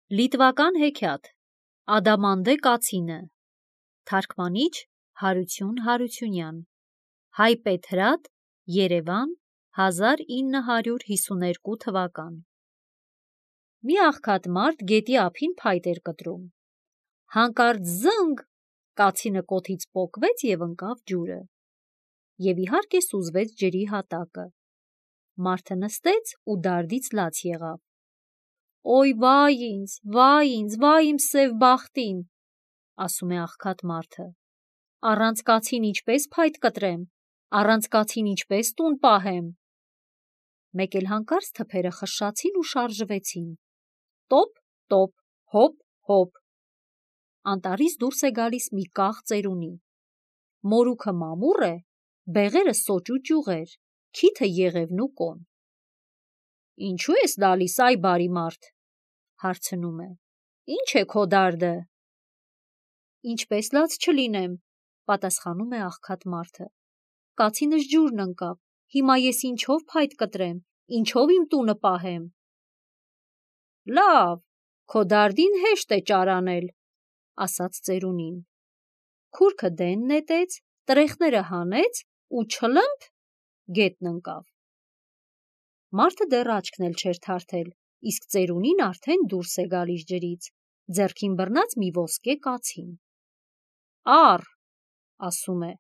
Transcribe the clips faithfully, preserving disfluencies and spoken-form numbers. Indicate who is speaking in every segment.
Speaker 1: Լիտվական հեքիաթ Ադամանդե կացինը Թարգմանիչ Հարություն Հարությունյան Հայպետ Հրատ Երևան հազար ինը հարյուր հիսուներկու թվական Մի աղքատ մարդ գետի ափին փայտ էր կտրում։ Հանկարծ զնգ կացինը կոթից պոկվեց և ընկավ ջուրը, և իհարկե սուզվեց ջրի հատակը։ Մարդը նստեց ու դարդից լաց եղավ։ Օй վայ ինձ, վայ ինձ, վայ իմ սև բախտին, ասում է աղքատ մարդը, առանց կացին ինչպես փայտ կտրեմ, առանց կացին ինչպես տուն պահեմ։ Մեկ էլ հանկարծ թփերը խշշացին ու շարժվեցին, տոպ, տոպ, հոպ, հոպ։ Անտառից դուրս է գալիս մի կաղ ծերունի, մորուքը մամուռ է, բեղերը սոճ ու ճյուղեր, քիթը եղևն ու կոն։ Ինչու ես տալիս, այ բարի մարդ, հարցնում է, ինչ է քո դարդը։ Ինչպես լաց չլինեմ, պատասխանում է աղքատ մարդը, կացինս ջուրն ընկավ, հիմա ես ինչով փայտ կտրեմ, ինչով իմ տունը պահեմ։ Լավ, քո դարդին հեշտ է ճարանել, ասաց ծերունին, քուրքը դեն նետեց, տրեխները հանեց ու չլըմփ գետն ընկավ։ Մարդը դեռ աչքն էլ չէր թարթել, իսկ ծերունին արդեն դուրս է գալիս ջրից, ձեռքին բռնած մի ոսկե կացին։ Առ, ասում է,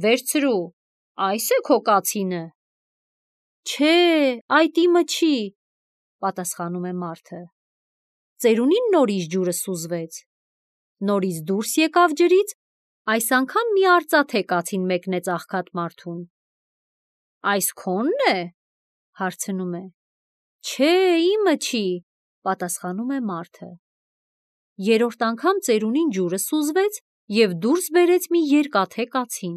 Speaker 1: վերցրու, այս է քո կացինը։ Չէ, այդ իմը չի, պատասխանում է մարդը։ Ծերունին նորից ջուրը սուզվեց, նորից դուրս եկավ ջրից, այս անգամ մի արծաթե կացին մեկնեց աղքատ մարդուն։ Այս քո՞նն է, հարցնում է։ Չէ, իմը չի, պատասխանում է մարդը։ Երրորդ անգամ ծերունին ջուրը սուզվեց և դուրս բերեց մի երկաթե կացին։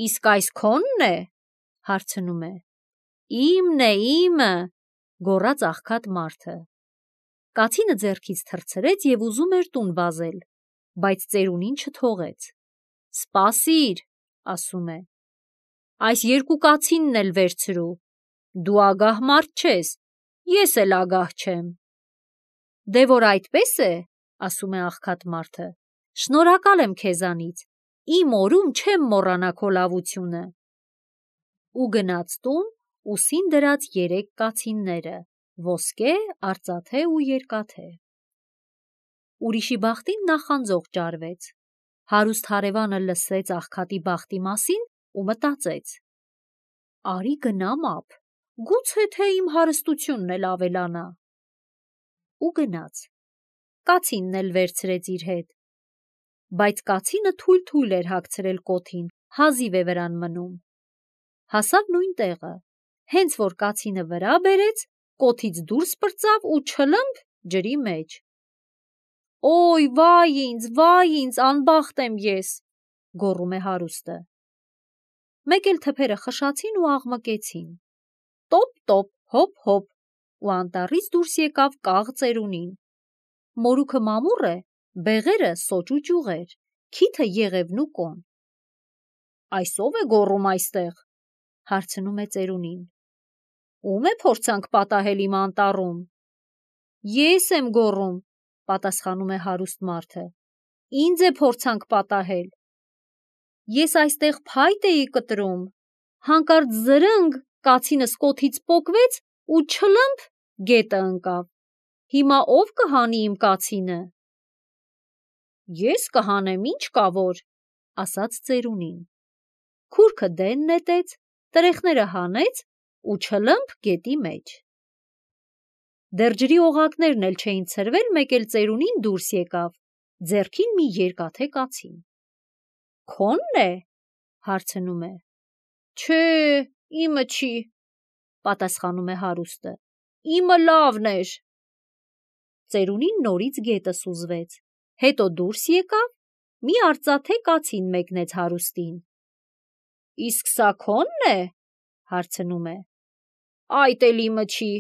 Speaker 1: Իսկ այս քո՞նն է, հարցնում է։ Իմն է, իմը, գոռաց աղքատ մարդը։ Կացինը ձեռքից թռցրեց և ուզում էր տուն վազել, բայց ծերունին չթողեց։ Սպասիր, ասում է, այս երկու կացինն էլ վերցրու, դու ագահ մարդ չես, ես էլ ագահ չեմ։ Դե որ այդպես է, ասում է աղքատ մարդը, շնորհակալ եմ քեզանից, իմ օրում չեմ մոռանա քո լավությունը։ Ու գնաց տուն ուսին դրած երեք կացինները, ոսկե, արծաթե ու երկաթե։ Ուրիշի բախտին նախանձող ճարվեց։ Հարուստ հարևանը լսեց աղքատի բախտի մասին ու մտածեց. արի գնամ ափ, գուցե թե իմ հարստությունն էլ ավելանա։ Ու գնաց, կացինն էլ վերցրեց իր հետ, բայց կացինը թույլ-թույլ էր հագցրել կոթին, հազիվ է վրան մնում։ Հասավ նույն տեղը, հենց որ կացինը վրա բերեց, կոթից դուրս պրծավ ու չլըմփ ջրի մեջ։ Օй վայ ինձ, վայ ինձ, անբախտ եմ ես, գոռում է հարուստը։ Մեկ էլ թփերը խշացին ու աղմկեցին, տոպ, տոպ, հոպ, հոպ, ու անտառից դուրս եկավ կաղ ծերունին, մորուքը մամուռ է, բեղերը սոճ ու ճյուղեր, քիթը եղևն ու կոն։ Այս ո՞վ է գոռում այստեղ, հարցնում է ծերունին։ Ո՞ւմ է փորձանք պատահել իմ անտառում։ Ես եմ գոռում, պատասխանում է հարուստ մարդը, ինձ է փորձանք պատահել։ Ես այստեղ փայտ էի կտրում, հանկարծ զրնգ կացինս կոթից պոկվեց ու չլըմփ գետը ընկավ։ Հիմա ո՞վ կհանի իմ կացինը։ Ես կհանեմ, ինչ կա որ, ասաց ծերունին, քուրքը դեն նետեց, տրեխները հանեց ու չլըմփ գետի մեջ։ Դեռ ջրի օղակներն էլ չէին ցրվել, մեկ էլ ծերունին դուրս եկավ, ձեռքին մի երկաթե կացին։ Քո՞նն է, հարցնում է։ Չէ, իմը չի, պատասխանում է հարուստը, իմը լավն էր։ Ծերունին նորից գետը սուզվեց, հետո դուրս եկավ, մի արծաթե կացին մեկնեց հարուստին։ Իսկ սա քո՞նն է, հարցնում է։ Այդ էլ իմը չի,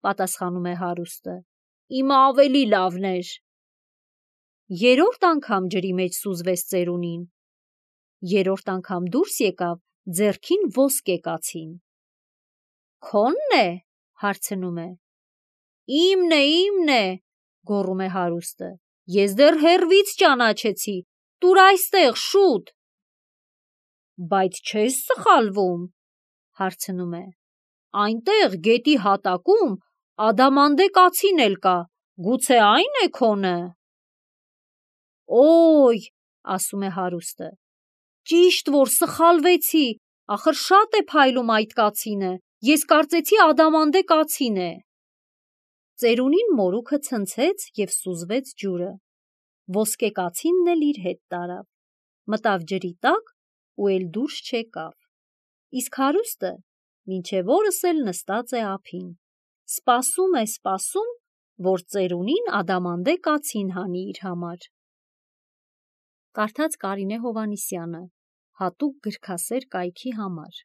Speaker 1: պատասխանում է հարուստը, իմը ավելի լավն էր։ Երրորդ անգամ ջրի մեջ սուզվեց ծերունին, երրորդ անգամ դուրս եկավ, ձեռքին ոսկե կացին։ Քո՞նն է, հարցնում է։ Իմն է, իմն է, գոռում է հարուստը, ես դեռ հեռվից ճանաչեցի, տուր այստեղ շուտ։ Բայց չես սխալվում, հարցնում է, այնտեղ գետի հատակում ադամանդե կացին էլ կա, գուցե այն է քոնը։ Օй, ասում է հարուստը, ճիշտ որ սխալվեցի, ախր շատ է փայլում այդ կացինը, ես կարծեցի ադամանդե կացին է։ Ծերունին մորուքը ցնցեց և սուզվեց ջուրը, ոսկե կացինն էլ իր հետ տարավ, մտավ ջրի տակ ու էլ դուրս չեկավ, իսկ հարուստը մինչև օրս էլ նստած է ափին, սպասում է, սպասում, որ ծերունին ադամանդե կացին հանի իր համար։ Կարդաց Կարինե Հովհաննիսյանը, հատուկ գրքասեր կայքի համար։